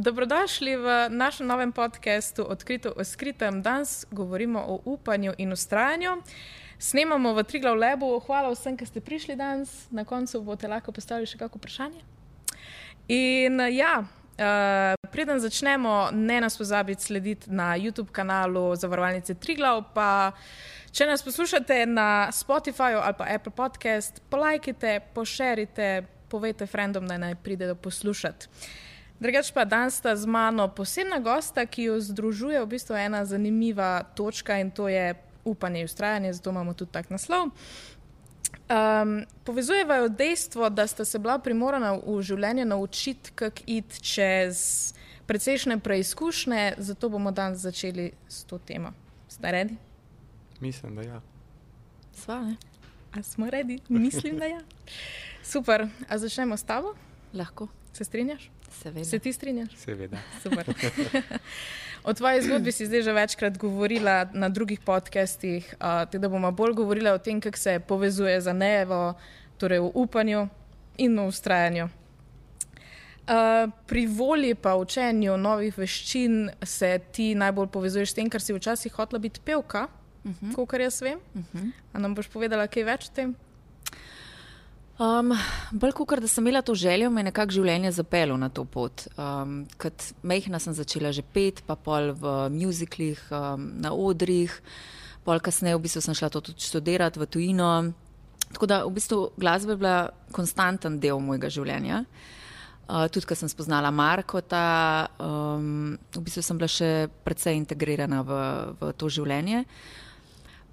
Dobrodošli v našem novem podcastu Odkrito o skritem. Danes govorimo o upanju in vztrajanju. Snemamo v Triglav Labu. Hvala vsem, ki ste prišli danes. Na koncu boste lahko postavili še kako vprašanje. In preden začnemo, ne nas pozabiti slediti na YouTube kanalu Zavarovalnice Triglav, pa če nas poslušate na Spotifyju ali pa Apple Podcast, polajkite, pošerite, povejte frendom, da naj pridejo poslušati. Drugač pa danes sta z mano posebna gosta, ki jo združuje v bistvu ena zanimiva točka in to je upanje in vztrajanje, zato imamo tudi tak naslov. Povezujeva jo dejstvo, da sta se bila primorana v življenju naučiti, kako iti čez precejšnje preizkušnje, zato bomo danes začeli s to temo. Ste redi? Mislim, da ja. Sva, ne? A smo redi? Mislim, da ja. Super. A začnemo s tabo? Lahko. Se strinjaš? Seveda. Se ti strinjaš? Seveda. Super. O tvoji zgodbi si zdaj že večkrat govorila na drugih podcastih, da bomo bolj govorila o tem, kako se povezuje za Nejevo, torej v upanju in v vztrajanju. Pri volji pa učenju novih veščin se ti najbolj povezuješ s tem, ker si včasih hotela biti pevka, kolikor jaz vem. A nam boš povedala kaj več o tem? Bolj kakor, da sem imela to željo, me je nekako življenje zapeljalo na to pot. Kot majhna sem začela že peti, pa pol v mjuziklih, na odrih, pol kasneje v bistvu sem šla to tudi študirati v tujino. Tako da v bistvu glasba je bila konstanten del mojega življenja. Tudi, ko sem spoznala Markota, v bistvu sem bila še precej integrirana v to življenje.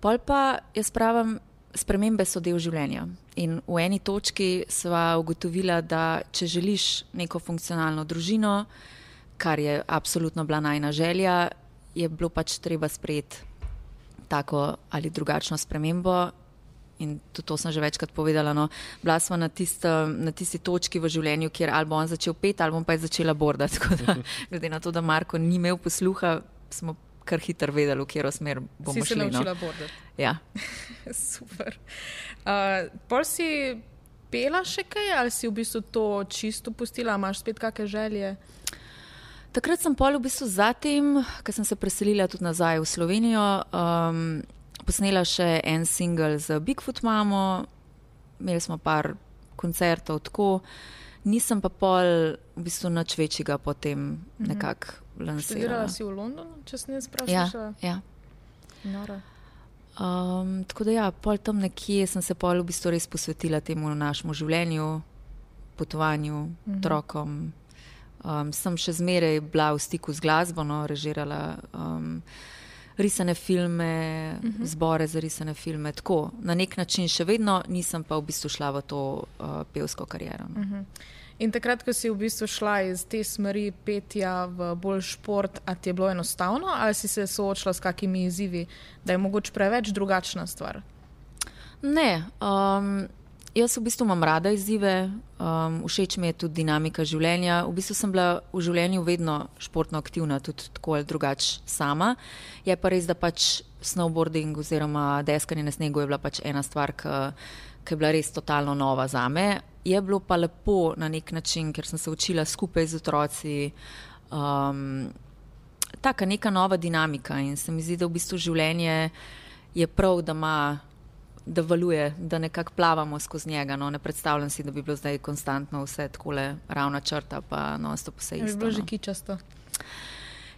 Pol pa jaz pravim, spremembe so del življenja in v eni točki sva ugotovila, da če želiš neko funkcionalno družino, kar je absolutno bila najina želja, je bilo pač treba sprejeti tako ali drugačno spremembo in tudi to sem že večkrat povedala. No, bila sva na tisti točki v življenju, kjer ali bo on začel peti, ali bom pa začela bordati. Tako da, glede na to, da Marko ni imel posluha, smo kar hitro vedeli, v katero smer bomo šli. Si se naučila bordati? Ja. Super. Pol si pela še kaj ali si v bistvu to čisto pustila? Imaš spet kakšne želje? Takrat sem pol v bistvu zatem, ko sem se preselila tudi nazaj v Slovenijo, posnela še en single z Bigfoot mamo, imeli smo par koncertov tako, nisem pa pol v bistvu nič večjega potem nekako lansirala. Študirala si v Londonu, če sem jaz prav slišala? Ja. Nora. Tako da ja, pol tam nekje sem se pol v bistvu res posvetila temu našemu življenju, potovanju, otrokom. Sem še zmeraj bila v stiku z glasbo, no, režirala risane filme, zbore za risane filme, tako. Na nek način še vedno, nisem pa v bistvu šla v to pevsko kariero. No. In takrat, ko si v bistvu šla iz te smeri petja v bolj šport, a ti je bilo enostavno ali si se soočila s kakimi izzivi, da je mogoče preveč drugačna stvar? Ne, jaz v bistvu imam rada izzive, všeč mi je tudi dinamika življenja. V bistvu sem bila v življenju vedno športno aktivna, tudi tako ali drugače sama. Je pa res, da pač snowboarding oziroma deskanje na snegu je bila pač ena stvar, ki je bila res totalno nova zame. Je bilo pa lepo na nek način, ker sem se učila skupaj z otroci, taka neka nova dinamika in se mi zdi, da v bistvu življenje je prav, da valuje, da nekako plavamo skozi njega. No, ne predstavljam si, da bi bilo zdaj konstantno vse takole ravna črta, pa non-stop vse isto. Je bilo že kičasto.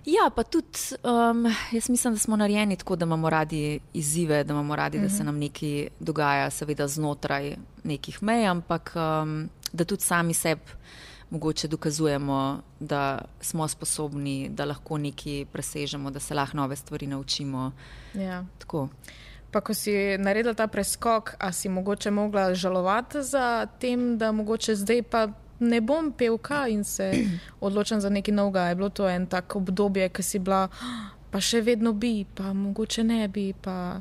Ja, pa tudi, jaz mislim, da smo narejeni tako, da imamo radi izzive, da imamo radi, da se nam nekaj dogaja, seveda znotraj nekih mej, ampak da tudi sami sebi mogoče dokazujemo, da smo sposobni, da lahko nekaj presežemo, da se lahko nove stvari naučimo. Ja. Tako. Pa ko si naredila ta preskok, a si mogoče mogla žalovati za tem, da mogoče zdaj pa ne bom pevka in se odločam za nekaj novega? Je bilo to en tak obdobje, ki si bila, pa še vedno bi, pa mogoče ne bi, pa...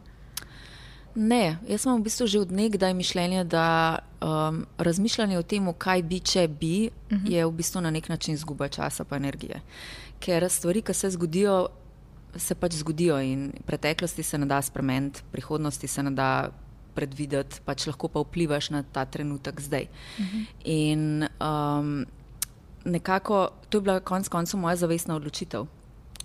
Ne, jaz imam v bistvu že od nekdaj mišljenje, da razmišljanje o tem, kaj bi, če bi, je v bistvu na nek način izguba časa pa energije. Ker stvari, ki se zgodijo, se pač zgodijo in preteklosti se ne da spremeniti, prihodnosti se ne da predvideti, pač lahko pa vplivaš na ta trenutek zdaj. In nekako, to je bila konec koncev moja zavestna odločitev.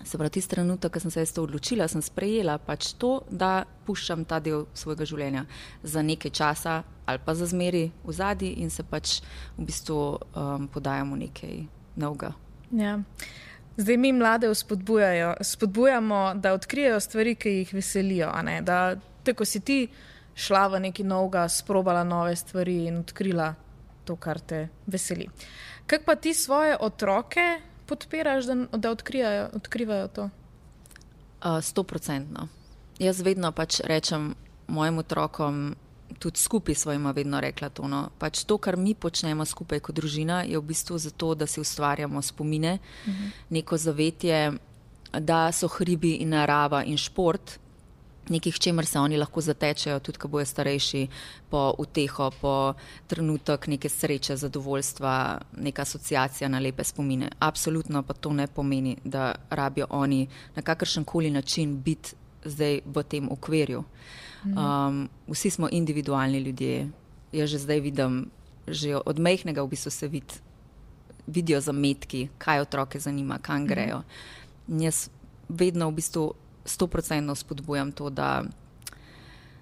Se pravi, tisti trenutek, ko sem se to odločila, sem sprejela pač to, da puščam ta del svojega življenja za nekaj časa ali pa za zmeri v zadnji in se pač v bistvu podajam v nekaj novega. Ja. Zdaj mi mlade spodbujamo, da odkrijejo stvari, ki jih veselijo, a ne? Da tako si ti šla v nekaj novega, sprobala nove stvari in odkrila to, kar te veseli. Kako pa ti svoje otroke podpiraš, da odkrivajo to? 100%. Jaz vedno pač rečem mojim otrokom, tudi skupaj svojima vedno rekla to, no. Pač to, kar mi počnemo skupaj kot družina, je v bistvu zato, da si ustvarjamo spomine, neko zavetje, da so hribi in narava in šport nekih, čemer se oni lahko zatečejo, tudi ko bojo starejši, po uteho, po trenutek neke sreče, zadovoljstva, neka asociacija na lepe spomine. Absolutno pa to ne pomeni, da rabijo oni na kakršenkoli način biti zdaj v tem okvirju. Vsi smo individualni ljudje. Jaz že zdaj vidim, že od majhnega v bistvu se vidijo zametki, kaj otroke zanima, kam grejo. Jaz vedno v bistvu 100% spodbujam to,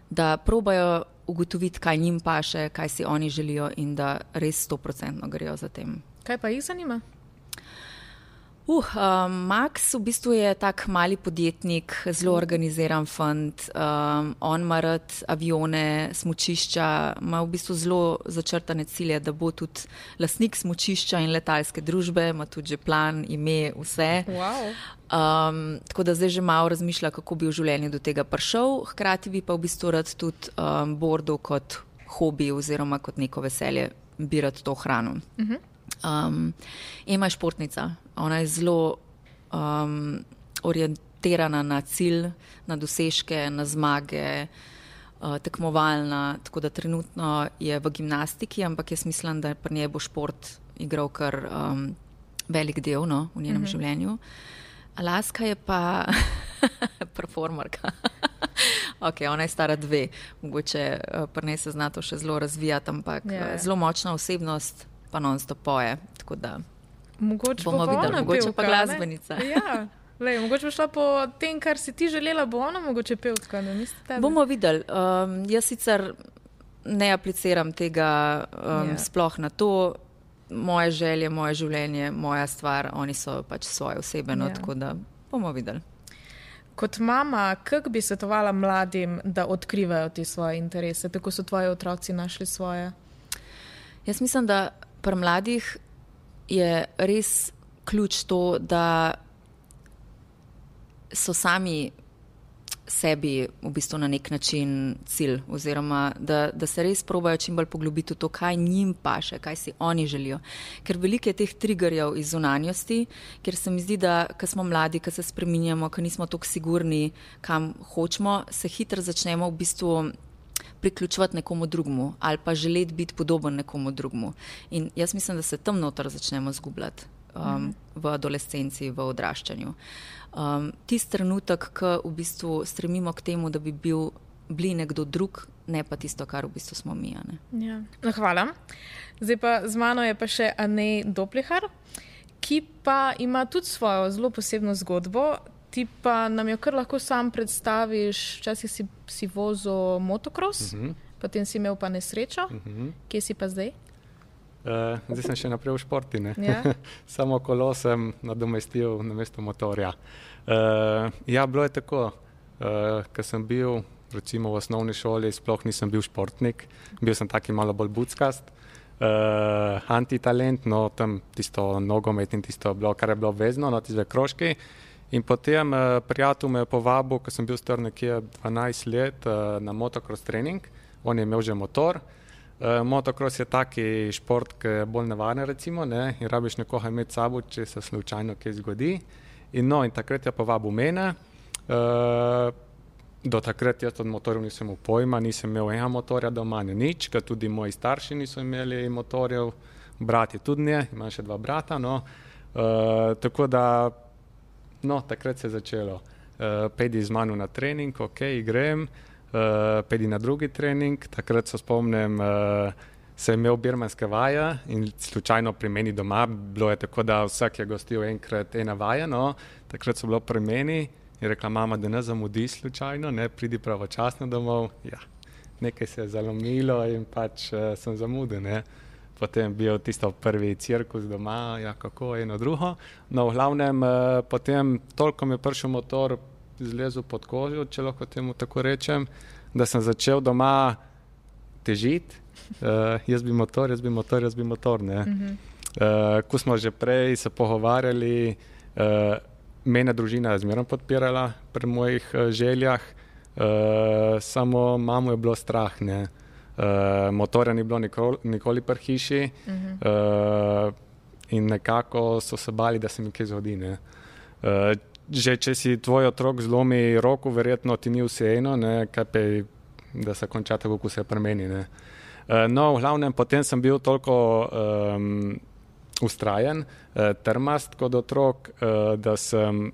da probajo ugotoviti, kaj njim paše, kaj si oni želijo in da res 100% grejo za tem. Kaj pa jih zanima? Max v bistvu je tak mali podjetnik, zelo organiziran fant, on ima rad avione, smučišča, ima v bistvu zelo začrtane cilje, da bo tudi lastnik smučišča in letalske družbe, ima tudi že plan, ime, vse. Wow. Tako da zdaj že malo razmišlja, kako bi v življenju do tega prišel, hkrati bi pa v bistvu rad tudi bordo kot hobi oziroma kot neko veselje bi rad to hrano. Ema je športnica, ona je zelo orientirana na cilj, na dosežke, na zmage, tekmovalna, tako da trenutno je v gimnastiki, ampak jaz mislim, da pri njej bo šport igral kar velik del, no, v njenem življenju. Alaska je pa performerka. Ok, ona je stara 2, mogoče pri njej se zna to še zelo razvijati, ampak zelo močna osebnost, pa non-stop poje, tako da mogoče bomo videli, mogoče pa glasbenica. Ja, mogoče bo šla po tem, kar si ti želela, bo ona mogoče pevka, ne mislite tebe? Bomo videli. Jaz sicer ne apliciram tega sploh na to, moje želje, moje življenje, moja stvar, oni so pač svoje osebeno, tako da bomo videli. Kot mama, kako bi svetovala mladim, da odkrivajo te svoje interese, tako so tvoji otroci našli svoje? Jaz mislim, da pri mladih je res ključ to, da so sami sebi v bistvu na nek način cilj oziroma da se res probajo čim bolj poglobiti v to, kaj njim paše, kaj si oni želijo. Ker veliko je teh triggerjev iz zunanjosti, ker se mi zdi, da ko smo mladi, ko se spreminjamo, ko nismo toliko sigurni, kam hočemo, se hitro začnemo v bistvu priključevati nekomu drugemu ali pa želeti biti podoben nekomu drugemu. In jaz mislim, da se tam noter začnemo zgubljati v adolescenci, v odraščanju. Tisti trenutek, ko v bistvu stremimo k temu, da bi bili nekdo drug, ne pa tisto, kar v bistvu smo mi. Ja. No, hvala. Zdaj pa z mano je pa še Anej Doplihar, ki pa ima tudi svojo zelo posebno zgodbo. Ti pa nam jo kar lahko sam predstaviš, včasih si vozil motocross, potem si imel pa nesrečo. Kje si pa zdaj? Zdaj sem še naprej v športi, ne? Ja. Samo kolo sem nadomestil namesto motorja. Ja, bilo je tako, ko sem bil recimo v osnovni šoli, sploh nisem bil športnik, bil sem taki malo bolj buckast, antitalent, no tam tisto nogomet in tisto bilo, kar je bilo vezno, no tiste krožki. In potem prijatelj me je povabil, ko sem bil star nekje 12 let na motocross trening, on je imel že motor. Motocross je taki šport, ki je bolj nevaren recimo, ne? In rabiš nekoga imeti sabo, če se slučajno kaj zgodi. In takrat je povabil mene. Do takrat jaz od motorjev nisem imel pojma, nisem imel enega motorja doma, nič, ker tudi moji starši niso imeli motorjev, brat je tudi ne, imam še 2 brata, no. Tako da, takrat se je začelo. Pejdi z mano na trening, ok, grem. Pejdi na drugi trening, takrat se spomnim, sem imel birmanske vaje in slučajno pri meni doma, bilo je tako, da vsak je gostil enkrat ena vaja, no, takrat so bilo pri meni in rekla mama, da ne zamudi slučajno, ne, pridi pravočasno domov, ja, nekaj se je zalomilo in pač sem zamudil, ne. Potem bil tisto prvi cirkus doma, ja, kako, eno drugo. No, v glavnem, potem toliko mi je prišel motor, zlezel pod kožo, če lahko temu tako rečem, da sem začel doma težiti. Jaz bi motor, ne. Ko smo že prej se pogovarjali, mene družina je zmeraj podpirala pri mojih željah, samo mamo je bilo strah, ne. Motorja ni bilo nikoli pri hiši in nekako so se bali, da se mi kaj zgodi, ne. Že če si tvoj otrok zlomi roko, verjetno ti ni vseeno, ne, kaj pa je, da se konča tako, kot se pri meni, ne. No, v glavnem, potem sem bil toliko ustrajen, trmast kot otrok, da sem,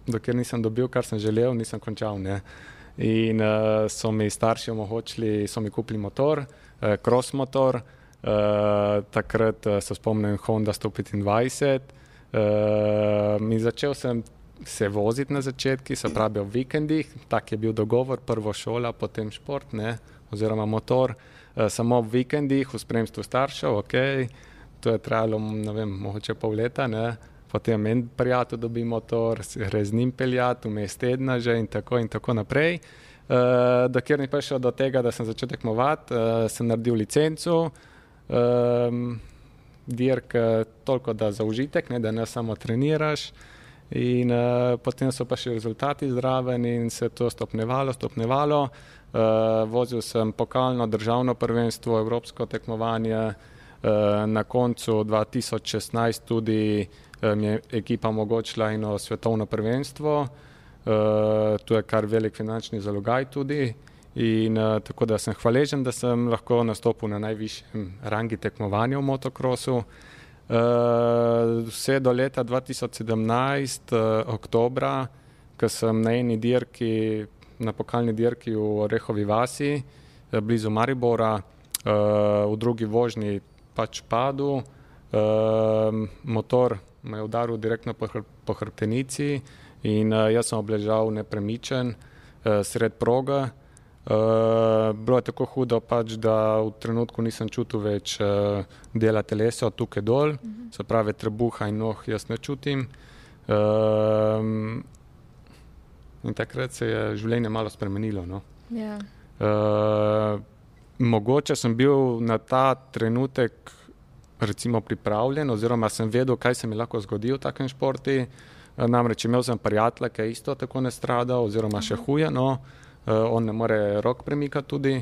dokler nisem dobil, kar sem želel, nisem končal, ne. In so mi starši omogočili, so mi kupili motor, cross motor, takrat se spomnim Honda 125, in začel sem se voziti na začetki, se pravi v vikendih, tak je bil dogovor, prvo šola, potem šport, ne, oziroma motor, samo v vikendih, v spremstvu staršev, okej, to je trajalo, ne vem, mogoče pol leta, ne, potem en prijatelj dobi motor, gre z njim peljati, vmes tedna že in tako naprej. Dokler ni prišel do tega, da sem začel tekmovati, sem naredil licenco, dirk toliko da za užitek, ne, da ne samo treniraš. In potem so pa še rezultati zraven in se to stopnevalo. Vozil sem pokalno državno prvenstvo, evropsko tekmovanje, na koncu 2016 tudi mi je ekipa omogočila eno svetovno prvenstvo, tu je kar velik finančni zalogaj tudi in tako da sem hvaležen, da sem lahko nastopil na najvišjem rangi tekmovanja v motokrosu. Vse do leta 2017, oktobra, ko sem na eni dirki, na pokalni dirki v Orehovi vasi, blizu Maribora, v drugi vožnji pač padel, motor me je udaril direktno po hrbtenici in jaz sem obležal nepremičen sred proge. Bilo je tako hudo pač, da v trenutku nisem čutil več dela telesa od tukaj dol, se pravi trebuha in noh jaz ne čutim. In takrat se je življenje malo spremenilo, no. Ja. Mogoče sem bil na ta trenutek recimo pripravljen oziroma sem vedel, kaj se mi lahko zgodi v takem športi. Namreč imel sem prijatelja, ki je isto tako nastradal oziroma še huje, no. On ne more rok premikati tudi.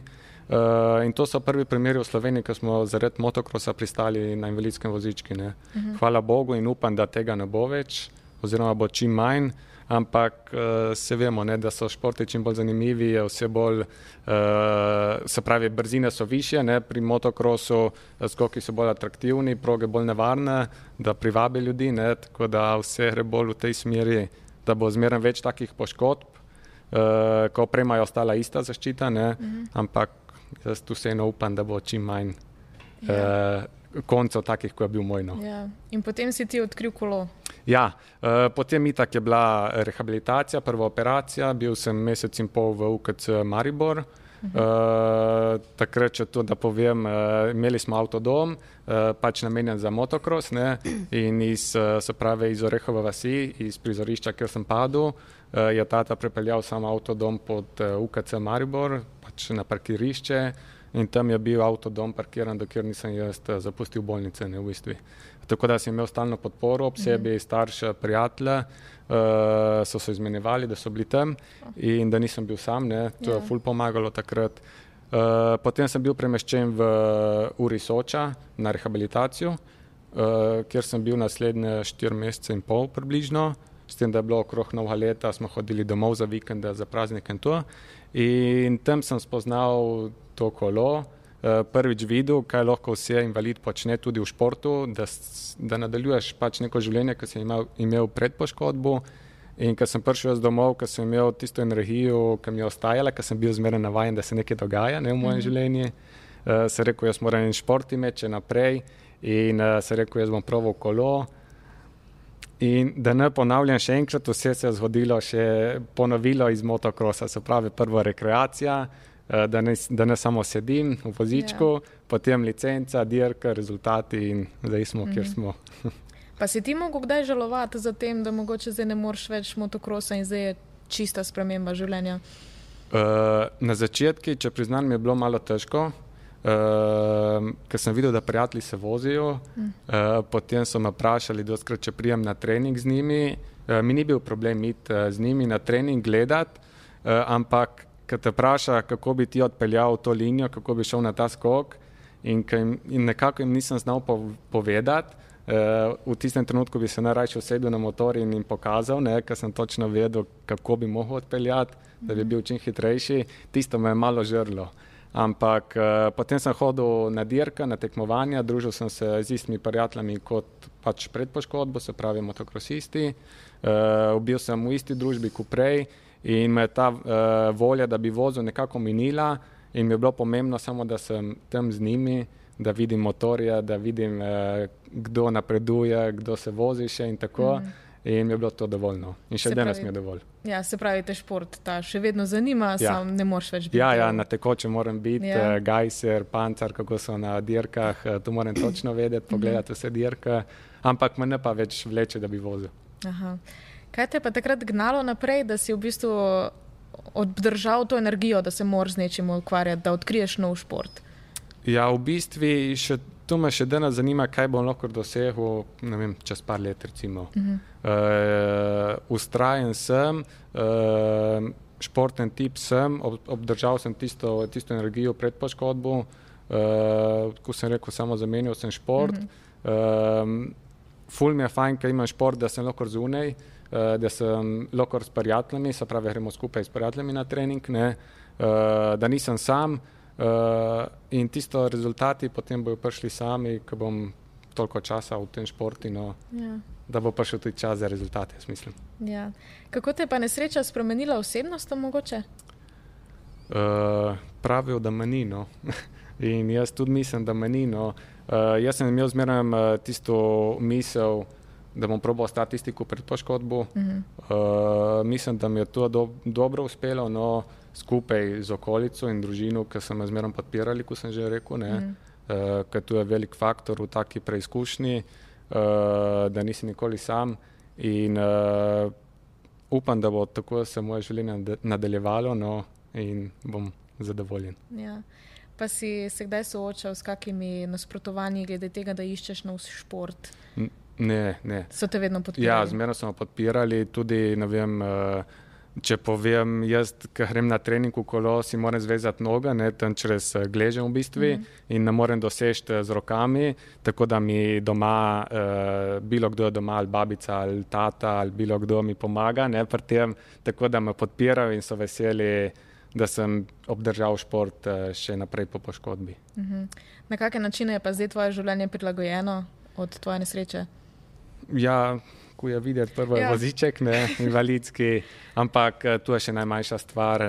In to so prvi primeri v Sloveniji, ko smo zaradi motokrosa pristali na invalidskem vozički, ne. Hvala Bogu in upam, da tega ne bo več oziroma bo čim manj. Ampak se vemo, ne, da so športi čim bolj zanimivi, vse bolj, se pravi, brzine so višje, ne, pri motokrosu, skoki so bolj atraktivni, proge bolj nevarne, da privabi ljudi, ne, tako da vse gre bolj v tej smeri, da bo zmeraj več takih poškodb, ko oprema je ostala ista zaščita, ne, ampak jaz tu vseeno upam, da bo čim manj koncev takih, ko je bil moj, no. Ja. In potem si ti odkril kolo. Ja, potem itak je bila rehabilitacija, prva operacija, bil sem mesec in pol v UKC Maribor. Takrat, če to da povem, imeli smo avtodom, pač namenjen za motokros, ne, in se pravi iz Orehove vasi, iz prizorišča, kjer sem padel, je tata prepeljal sam avtodom pod UKC Maribor, pač na parkirišče in tam je bil avtodom parkiran, dokler nisem jaz zapustil bolnice, ne, v bistvu. Tako da sem imel stalno podporo ob sebi, starše, prijatelje, so se izmenjevali, da so bili tam in da nisem bil sam, ne, to je ful pomagalo takrat. Potem sem bil premeščen v Uri Soča na rehabilitacijo, kjer sem bil naslednje 4 mesece in pol približno, s tem, da je bilo okrog novega leta, smo hodili domov za vikende, za praznike in to. In tam sem spoznal to kolo, prvič videl, kaj lahko vse invalid počne tudi v športu, da nadaljuješ pač neko življenje, ki sem imel pred poškodbo. In ko sem prišel jaz domov, ko sem imel tisto energijo, ki mi je ostajala, ko sem bil zmeraj navajen, da se nekaj dogaja, ne, v mojem življenju, se rekel, jaz moram en šport imeti naprej in se rekel, jaz bom proval kolo. In da ne ponavljam še enkrat, vse se je zgodilo, še ponovilo iz motokrosa, se pravi prva rekreacija, da ne samo sedim v vozičku, potem licenca, dirka, rezultati in zdaj smo, kjer smo. Pa si ti mogel kdaj žalovati za tem, da mogoče zdaj ne moreš več motokrosa in zdaj je čista sprememba življenja? Na začetku, če priznam, mi je bilo malo težko, ker sem videl, da prijatelji se vozijo, potem so me vprašali dostikrat, če prijem na trening z njimi. Mi ni bil problem iti z njimi na trening gledati, ampak ko te vpraša, kako bi ti odpeljal to linijo, kako bi šel na ta skok in nekako jim nisem znal povedati, v tistem trenutku bi se najrajši usedel na motor in jim pokazal, ker sem točno vedel, kako bi mogel odpeljati, da bi bil čim hitrejši. Tisto me je malo žrlo. Ampak potem sem hodil na dirke, na tekmovanja, družil sem se z istimi prijatelji kot pač pred poškodbo, se pravi motokrosisti. Bil sem v isti družbi kot prej in me je ta volja, da bi vozil, nekako minila in mi je bilo pomembno samo, da sem tam z njimi, da vidim motorje, da vidim, kdo napreduje, kdo se vozi še in tako. In mi je bilo to dovoljno. In še danes mi je dovolj. Ja, se pravi, te šport še vedno zanima, sam ne moreš več biti. Ja, na tekoče moram biti, gajser, pancar, kako so na dirkah, to moram točno vedeti, pogledati vse dirke, ampak me ne pa več vleče, da bi vozil. Aha. Kaj te je pa takrat gnalo naprej, da si v bistvu obdržal to energijo, da se moraš z nečim ukvarjati, da odkriješ nov šport? Ja, v bistvu to me še danes zanima, kaj bom lahko dosegel, ne vem, čez par let recimo. Ustrajen sem, športen tip sem, obdržal sem tisto energijo pred poškodbo, ko sem rekel, samo zamenjal sem šport. Ful mi je fajn, ker imam šport, da sem lahko zunaj, da sem lahko s prijatelji, se pravi, gremo skupaj s prijatelji na trening, da nisem sam. In tisto rezultati potem bojo prišli sami, ko bom toliko časa v tem športu, da bo prišel tudi čas za rezultate, jaz mislim. Ja. Kako te je pa nesreča spremenila osebnostno mogoče? Pravijo, da me ni, no. In jaz tudi mislim, da me ni, no. Jaz sem imel zmeraj tisto misel, da bom probal ostati tisti, ko pred poškodbo. Mislim, da mi je to dobro uspelo, no, skupaj z okolico in družino, ki so me zmeraj podpirali, ko sem že rekel, ker tu je velik faktor v taki preizkušnji, da nisi nikoli sam in upam, da bo tako se moje življenje nadaljevalo, no, in bom zadovoljen. Ja. Pa si se kdaj soočal s kakimi nasprotovanji glede tega, da iščeš nov šport? Ne. So te vedno podpirali? Ja, zmerno so me podpirali, tudi, ne vem, če povem, jaz, ko grem na trening v kolo, si moram zvezati noge, tam čez gležem v bistvu in ne morem doseči z rokami, tako da mi doma, bilo kdo je doma, ali babica, ali tata, ali bilo kdo mi pomaga, pri tem, tako da me podpirajo in so veseli, da sem obdržal šport še naprej po poškodbi. Na kakšne načine je pa zdaj tvoje življenje prilagojeno od tvoje nesreče? Ja, ko je videti prvo voziček, invalidski, ampak tu je še najmanjša stvar.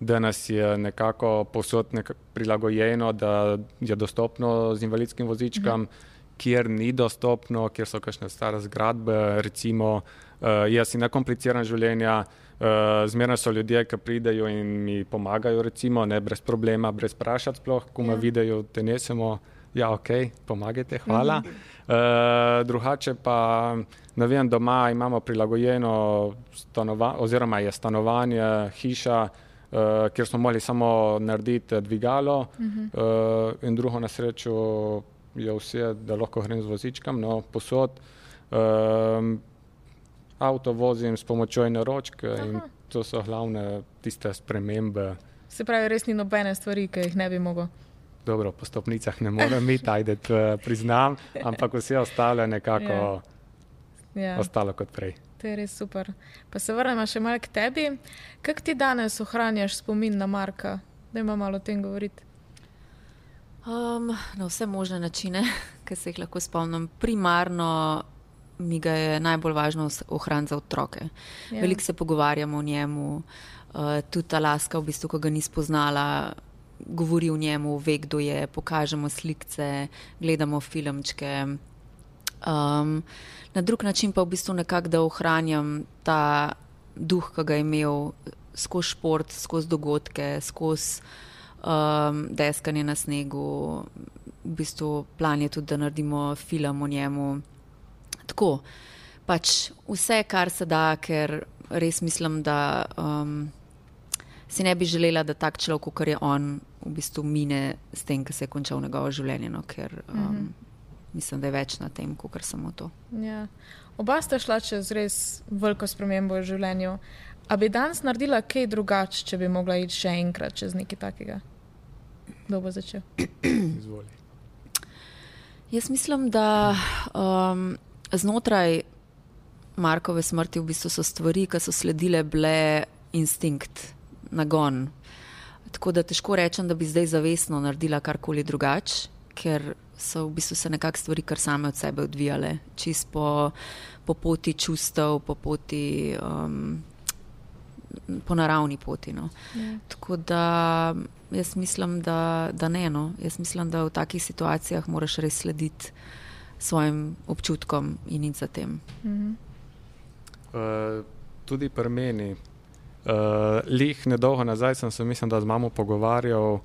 Danes je nekako povsod prilagojeno, da je dostopno z invalidskim vozičkom, kjer ni dostopno, kjer so kakšne stare zgradbe, recimo, jaz si nekompliciran življenja, zmeraj so ljudje, ki pridejo in mi pomagajo, recimo, brez problema, brez vprašati sploh, ko me vidijo, te nesemo, ja, ok, pomagajte, hvala. Drugače pa, ne vem, doma imamo prilagojeno oziroma je stanovanje, hiša, kjer smo morali samo narediti dvigalo in drugo na srečo je vse, da lahko grem z vozičkom, no, posod. Avto vozim s pomočjo ene ročke in to so glavne tiste spremembe. Se pravi, res ni nobene stvari, ki jih ne bi mogel? Dobro, po stopnicah ne morem iti, ajde, priznam, ampak vse ostalo je nekako ostalo kot prej. To je res super. Pa se vrnemo še malo k tebi. Kako ti danes ohranjaš spomin na Marka? Dajmo malo o tem govoriti. Na vse možne načine, ki se jih lahko spomnim. Primarno mi ga je najbolj važno ohraniti za otroke. Veliko se pogovarjamo o njemu, tudi ta laska, v bistvu, ko ga ni spoznala, govori o njemu, ve, kdo je, pokažemo slikce, gledamo filmčke. Na drug način pa v bistvu nekako, da ohranjam ta duh, ki ga je imel skozi šport, skozi dogodke, skozi deskanje na snegu. V bistvu plan je tudi, da naredimo film o njemu. Tako, pač vse, kar se da, ker res mislim, da si ne bi želela, da tak človek, kot je on, v bistvu mine s tem, ki se je končal njegovo življenje, no, ker mislim, da je več na tem, kot samo to. Ja. Oba sta šla čez res veliko spremembo v življenju. A bi danes naredila kaj drugače, če bi mogla iti še enkrat čez nekaj takega? Kdo bo začel? Izvoli. Jaz mislim, da znotraj Markove smrti v bistvu so stvari, ki so sledile, bile instinkt, nagon. Tako da težko rečem, da bi zdaj zavestno naredila karkoli drugače, ker so v bistvu se nekako stvari kar same od sebe odvijale. Čist po poti čustev, po poti, po naravni poti. No. Ja. Tako da jaz mislim, da ne. No. Jaz mislim, da v takih situacijah moraš res slediti svojim občutkom in iti za tem. Tudi pri meni. Lih nedolgo nazaj sem se, mislim, da z mamo pogovarjal,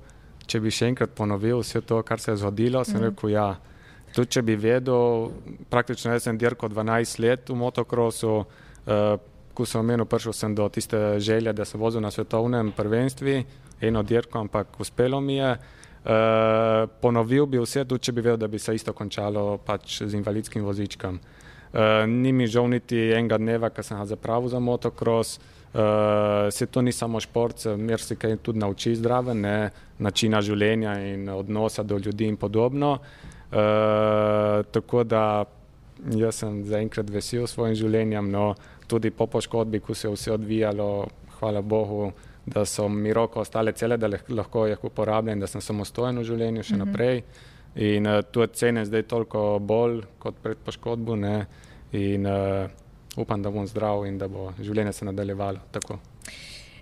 če bi še enkrat ponovil vse to, kar se je zgodilo, sem rekel ja. Tudi če bi vedel, praktično jaz sem dirkal 12 let v motokrosu, ko sem omenil, prišel sem do tiste želje, da se vozil na svetovnem prvenstvi, eno dirko, ampak uspelo mi je. Ponovil bi vse, tudi če bi vedel, da bi se isto končalo pač z invalidskim vozičkom. Ni mi žal niti enega dneva, ko sem ga zapravil za motokros. Se to ni samo šport, mer se kaj tudi nauči zdraven, načina življenja in odnosa do ljudi in podobno. Tako da jaz sem zaenkrat vesel s svojim življenjem, no tudi po poškodbi, ko se je vse odvijalo, hvala Bogu, da so mi roko ostale cele, da lahko jih uporabljam, da sem samostojen v življenju še naprej. In to cenim zdaj toliko bolj kot pred poškodbo, ne, in upam, da bom zdrav in da bo življenje se nadaljevalo tako.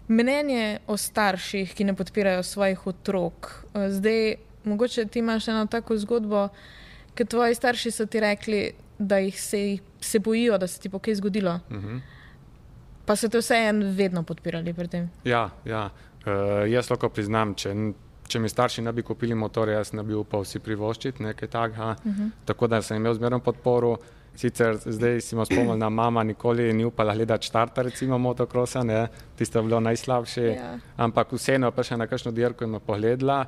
Mnenje o starših, ki ne podpirajo svojih otrok. Zdaj, mogoče ti imaš eno tako zgodbo, ker tvoji starši so ti rekli, da jih se bojijo, da se ti bo kaj zgodilo. Pa so te vseeno vedno podpirali pri tem? Ja. Jaz lahko priznam, če mi starši ne bi kupili motorja, jaz ne bi upal si privoščiti nekaj takega. Tako da sem imel zmerno podporo. Sicer zdaj si me spomnil, da mama nikoli ni upala gledati štarta, recimo motokrosa, ne, tisto je bilo najslabše, ampak vseeno je prišla na kakšno dirko in me pogledala,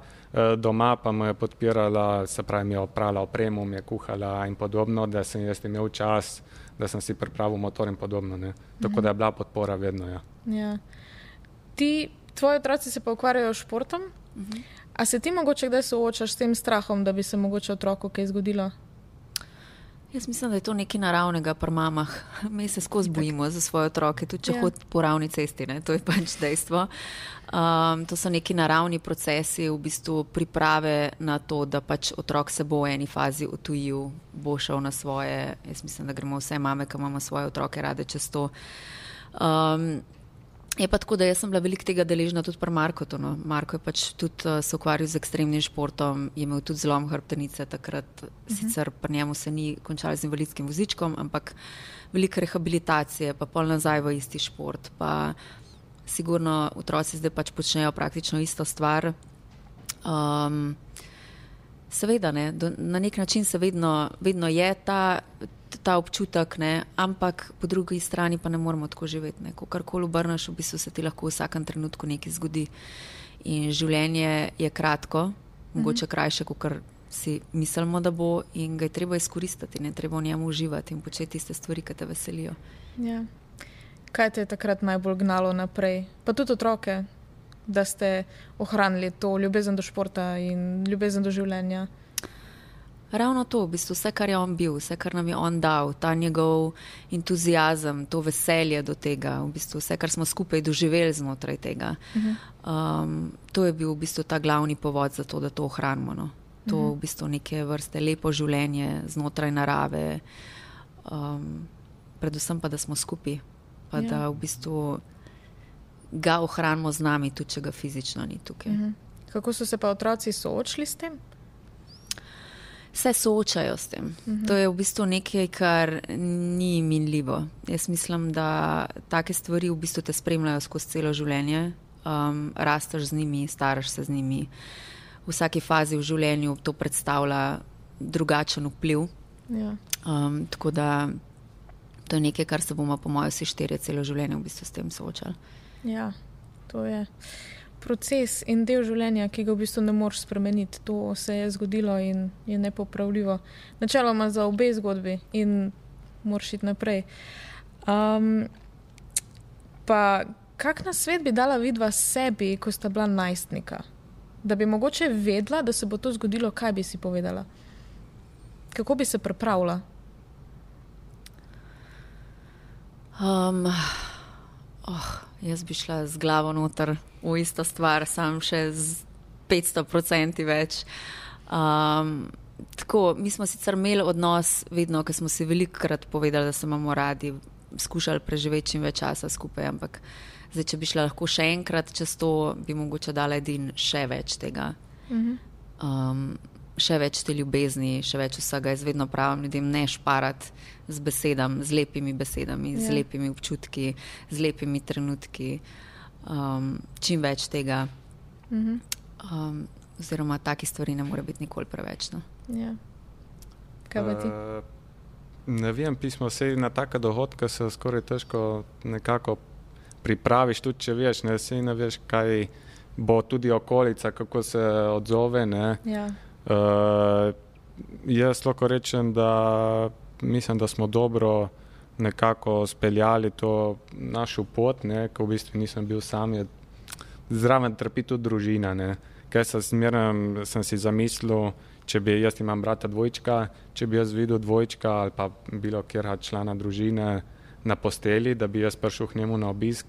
doma pa me je podpirala, se pravi, mi je oprala opremo, mi je kuhala in podobno, da sem jaz imel čas, da sem si pripravil motor in podobno, ne. Tako da je bila podpora vedno, ja. Ja. Tvoji otroci se pa ukvarjajo s športom, a se ti mogoče kdaj soočaš s tem strahom, da bi se mogoče otroku kaj zgodilo? Jaz mislim, da je to nekaj naravnega pri mamah. Mi se skozi bojimo za svoje otroke, tudi če hodi po ravni cesti, ne? To je pač dejstvo. To so neki naravni procesi, v bistvu priprave na to, da pač otrok se bo v eni fazi odtujil, bo šel na svoje. Jaz mislim, da gremo vse mame, ki imamo svoje otroke rade čez to. Je pa tako, da jaz sem bila veliko tega deležna tudi pri Markotu. No. Marko je pač tudi se ukvarjal z ekstremnim športom, je imel tudi zlom hrbtenice takrat, sicer pri njemu se ni končalo z invalidskim vozičkom, ampak veliko rehabilitacije, pa pol nazaj v isti šport, pa sigurno otroci zdaj pač počnejo praktično isto stvar. Seveda, ne, na nek način se vedno je ta občutek, ne, ampak po drugi strani pa ne moramo tako živeti. Ne. Ko karkoli obrneš, v bistvu se ti lahko v vsakem trenutku nekaj zgodi. In življenje je kratko, mogoče krajše, kot si mislimo, da bo, in ga je treba izkoristiti, ne treba v njemu uživati in početi tiste stvari, ki te veselijo. Ja. Kaj te je takrat najbolj gnalo naprej? Pa tudi otroke, da ste ohranili to ljubezen do športa in ljubezen do življenja? Ravno to, v bistvu vse, kar je on bil, vse, kar nam je on dal, ta njegov entuziazem, to veselje do tega, v bistvu vse, kar smo skupaj doživeli znotraj tega. To je bil v bistvu ta glavni povod za to, da to ohranimo. No. To v bistvu neke vrste lepo življenje znotraj narave, predvsem pa, da smo skupaj, pa da v bistvu ga ohranimo z nami, tudi če ga fizično ni tukaj. Kako so se pa otroci soočili s tem? Se soočajo s tem. To je v bistvu nekaj, kar ni minljivo. Jaz mislim, da take stvari v bistvu te spremljajo skozi celo življenje. Rasteš z njimi, staraš se z njimi. V vsaki fazi v življenju to predstavlja drugačen vpliv. Ja. Tako da to je nekaj, kar se bomo po mojem vsi štirje celo življenje v bistvu s tem soočali. Ja, to je proces in del življenja, ki ga v bistvu ne moreš spremeniti. To se je zgodilo in je nepopravljivo. Načeloma za obe zgodbi in moraš iti naprej. Pa kak nasvet bi dala vidva sebi, ko sta bila najstnika? Da bi mogoče vedela, da se bo to zgodilo, kaj bi si povedala? Kako bi se pripravila? Jaz bi šla z glavo noter v isto stvar, sam še z 500% več. Tako, mi smo sicer imeli odnos vedno, ker smo si velikokrat povedali, da se imamo radi, skušali preživeti čim več časa skupaj, ampak zdaj, če bi šla lahko še enkrat čez to, bi mogoče dala edin še več tega. Še več te ljubezni, še več vsega. Jaz vedno pravim ljudem, ne šparati z besedami, z lepimi besedami, z lepimi občutki, z lepimi trenutki. Čim več tega. Oziroma, taki stvari ne more biti nikoli preveč. No? Ja. Kaj pa ti? Ne vem, pismo vse na take dogodke se skoraj težko nekako pripraviš, tudi če veš, ne veš, kaj bo tudi okolica, kako se odzove, ne. Ja. Jaz lahko rečem, da mislim, da smo dobro nekako speljali to našo pot, ne, ko v bistvu nisem bil sam, zraven trpi tudi družina, ne. Kaj sem si zamislil, če bi jaz imam brata dvojčka, če bi jaz videl dvojčka ali pa bilo kjer člana družine na posteli, da bi jaz prišel k njemu na obisk,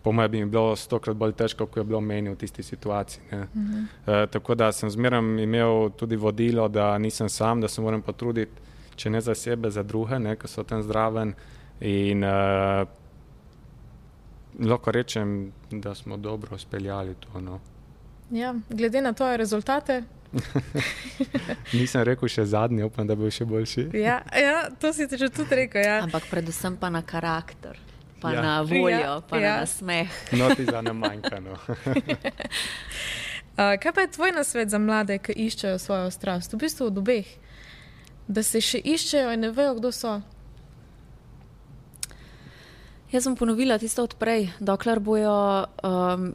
po mojem bi mi bilo 100krat bolj težko, ko je bilo meni v tisti situaciji. Ne. Tako da sem zmeraj imel tudi vodilo, da nisem sam, da se moram potruditi, če ne za sebe, za druge, ne, ki so tam zraven. In lahko rečem, da smo dobro speljali to. No. Ja, glede na tvoje rezultate. Nisem rekel še zadnji, upam, da bo še boljši. Ja, to si že tudi rekel. Ja. Ampak predvsem pa na karakter. Pa na voljo, pa na nasmeh. No, ti za ne manjka, no. Kaj pa je tvoj nasvet za mlade, ki iščejo svojo strast? V bistvu od obeh. Da se še iščejo in ne vejo, kdo so. Jaz sem ponovila tisto odprej. Dokler bojo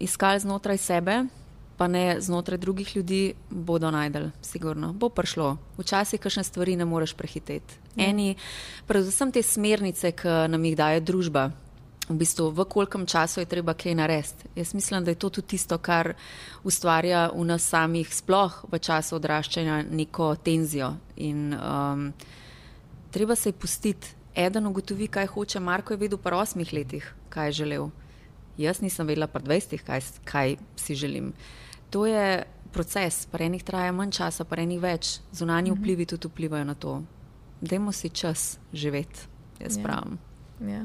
iskali znotraj sebe, pa ne znotraj drugih ljudi, bodo najdeli, sigurno. Bo prišlo. Včasih kakšne stvari ne moreš prehiteti. Predvsem te smernice, ki nam jih daje družba, v bistvu v kolikem času je treba kaj narediti. Jaz mislim, da je to tudi tisto, kar ustvarja v nas samih sploh v času odraščanja neko tenzijo. In treba se je pustiti. Eden ugotovi, kaj hoče. Marko je vedel pri 8 letih, kaj je želel. Jaz nisem vedela pri 20, kaj si želim. To je proces. Pri enih traja manj časa, pri enih več. Zunanji vplivi tudi vplivajo na to. Dajmo si čas živeti, jaz pravim. Ja.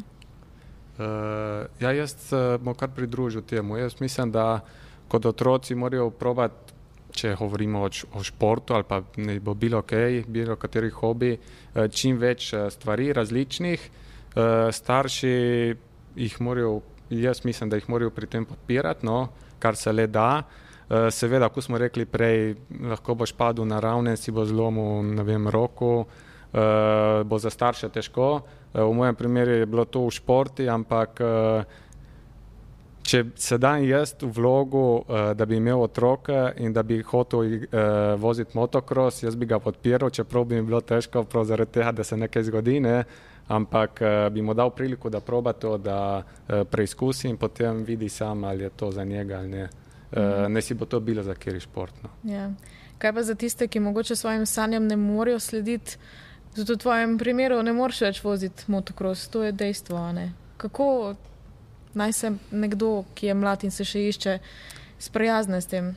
Jaz bom kar pridružil temu. Jaz mislim, da kot otroci morajo probati, če govorimo o športu ali pa ne bo bilo kateri hobi, čim več stvari različnih. Starši jih morajo, jaz mislim, da jih morajo pri tem podpirati, no, kar se le da. Seveda, ko smo rekli prej, lahko boš padel na ravne, si bo zlomil, ne vem, roko, bo za starše težko. V mojem primeru je bilo to v športi, ampak če se dam jaz v vlogu, da bi imel otroke in da bi hotel voziti motocross, jaz bi ga podpiral, čeprav bi mi bilo težko prav zaradi tega, da se nekaj zgodi, ne? Ampak bi mu dal priliku, da proba to, da preizkusi in potem vidi sam, ali je to za njega ali ne. Ne si bo to bilo za kjeri šport. No. Ja. Kaj pa za tiste, ki mogoče svojim sanjam ne morejo slediti? Zato v tvojem primeru ne moreš več voziti motocross, to je dejstvo, ne? Kako naj se nekdo, ki je mlad in se še išče, sprijazne s tem?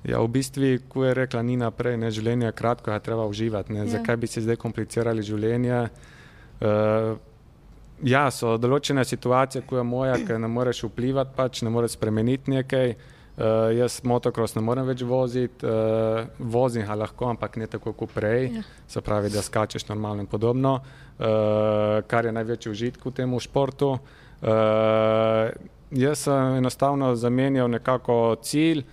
Ja, v bistvu, ko je rekla Nina prej, ne, življenje je kratko, je treba uživati. Ne? Zakaj bi si zdaj komplicirali življenje? Ja, so določene situacije, ko je moja, ker ne moreš vplivati, pač ne moreš spremeniti nekaj. Jaz motocross ne morem več voziti, vozim ga lahko, ampak ne tako kot prej, se pravi, da skačeš normalno in podobno, kar je največji užitek v tem športu. Jaz sem enostavno zamenjal nekako cilj,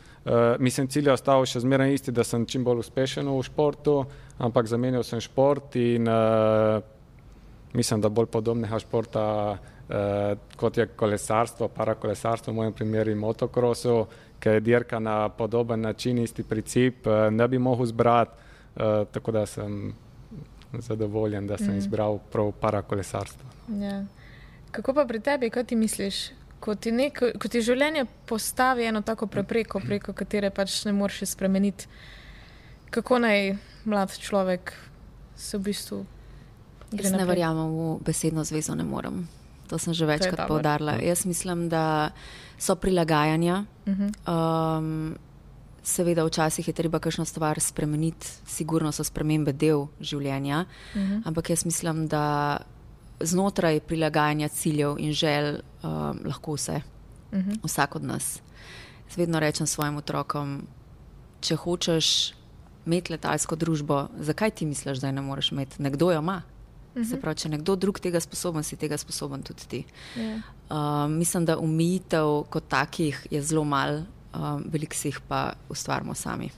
cilj je ostal še zmeraj isti, da sem čim bolj uspešen v športu, ampak zamenjal sem šport in mislim, da bolj podobnega športa kot je kolesarstvo, parakolesarstvo, v mojem primeru in motocrossu, ki je dirka na podoben način, isti princip, ne bi mogel zbrati, tako da sem zadovoljen, da sem izbral prav parakolesarstvo. Ja. Kako pa pri tebi, kaj ti misliš? Ko ti življenje postavi eno tako prepreko, preko katere pač ne moreš spremeniti, kako naj mlad človek se v bistvu gre naprej? Jaz ne verjamem v besedno zvezo, ne morem. To sem že večkrat poudarila. Jaz mislim, da so prilagajanja. Seveda včasih je treba kakšno stvar spremeniti, sigurno so spremembe del življenja, ampak jaz mislim, da znotraj prilagajanja ciljev in želj lahko vse. Vsak od nas. Jaz vedno rečem svojim otrokom, če hočeš imeti letalsko družbo, zakaj ti misliš, da je ne moreš imeti? Nekdo jo ima. Se pravi, če nekdo drug tega sposoben, si tega sposoben tudi ti. Mislim, da omejitev kot takih je zelo malo, veliko si jih pa ustvarimo sami.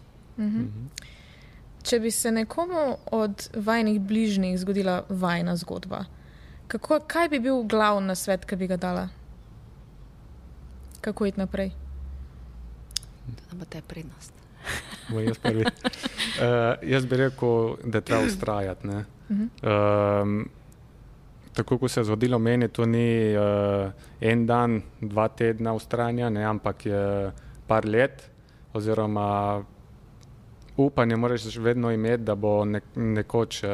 Če bi se nekomu od vajnih bližnjih zgodila vajna zgodba, kaj bi bil glavni nasvet, ki bi ga dala? Kako iti naprej? Da bo te prednost. Jaz bi rekel, da treba ustrajati. Tako kot se je zgodilo meni, to ni en dan, 2 tedna ustrajanja, ampak je par let, oziroma upanje moraš vedno imeti, da bo nekoč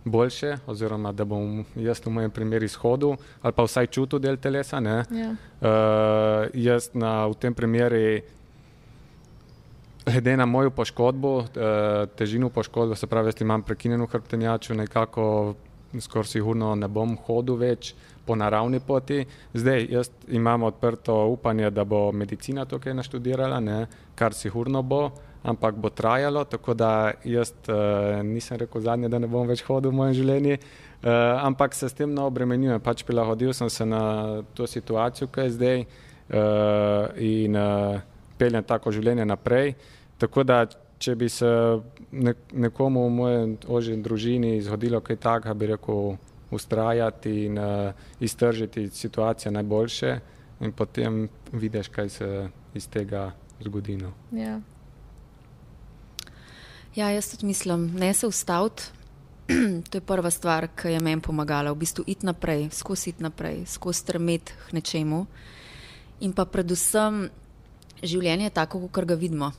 boljše, oziroma da bom jaz v mojem primeru izhodil ali pa vsaj čutil del telesa. Jaz v tem primeru, glede na mojo poškodbo, težino poškodbe, se pravi, jaz imam prekinjeno hrbtenjačo, nekako skoraj sigurno ne bom hodil več po naravni poti. Zdaj, jaz imam odprto upanje, da bo medicina tukaj naštudirala, kar sigurno bo, ampak bo trajalo, tako da jaz nisem rekel zadnje, da ne bom več hodil v mojem življenju, ampak se s tem ne obremenjujem. Pač prilagodil sem se na to situacijo, ki je zdaj, in peljem tako življenje naprej. Tako da, če bi se nekomu v moje ožji družini zgodilo kaj takega, bi rekel ustrajati in iztržiti situacijo najboljše in potem vidiš, kaj se iz tega zgodi. Ja, jaz tudi mislim, ne se ustaviti. To je prva stvar, ki je meni pomagala. V bistvu iti naprej, skozi stremeti k nečemu. In pa predvsem življenje je tako, kot ga vidimo.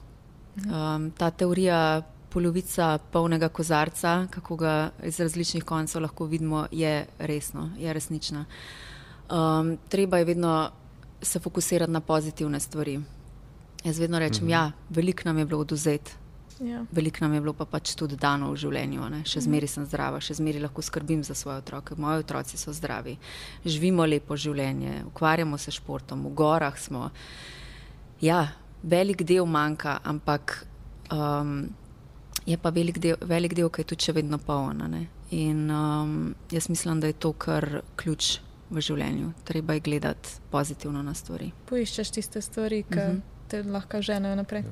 Ta teorija polovica polnega kozarca, kako ga iz različnih koncev lahko vidimo, je resnična. Treba je vedno se fokusirati na pozitivne stvari. Jaz vedno rečem, veliko nam je bilo odvzeti, veliko nam je bilo pa pač tudi dano v življenju. Še zmeri sem zdrava, še zmeri lahko skrbim za svoje otroke, moji otroci so zdravi, živimo lepo življenje, ukvarjamo se športom, v gorah smo. Ja, velik del manjka, ampak je pa velik del, ki je tudi še vedno poln. In jaz mislim, da je to kar ključ v življenju. Treba je gledati pozitivno na stvari. Poiščeš tiste stvari, ki te lahko ženejo naprej.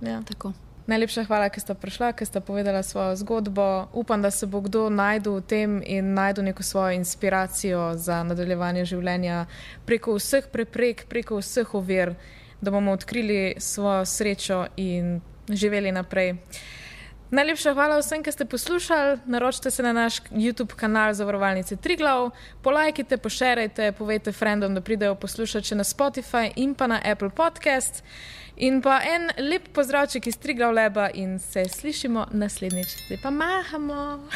Ja. Tako. Najlepša hvala, ker sta prišla, ker sta povedala svojo zgodbo. Upam, da se bo kdo najdel v tem in najdel neko svojo inspiracijo za nadaljevanje življenja preko vseh preprek, preko vseh ovir, da bomo odkrili svojo srečo in živeli naprej. Najlepša hvala vsem, ki ste poslušali. Naročite se na naš YouTube kanal Zavarovalnice Triglav, polajkite, pošerajte, povejte frendom, da pridejo poslušati še na Spotify in pa na Apple Podcast. In pa en lep pozdravček iz Triglav Laba in se slišimo naslednjič. Zdaj pa mahamo!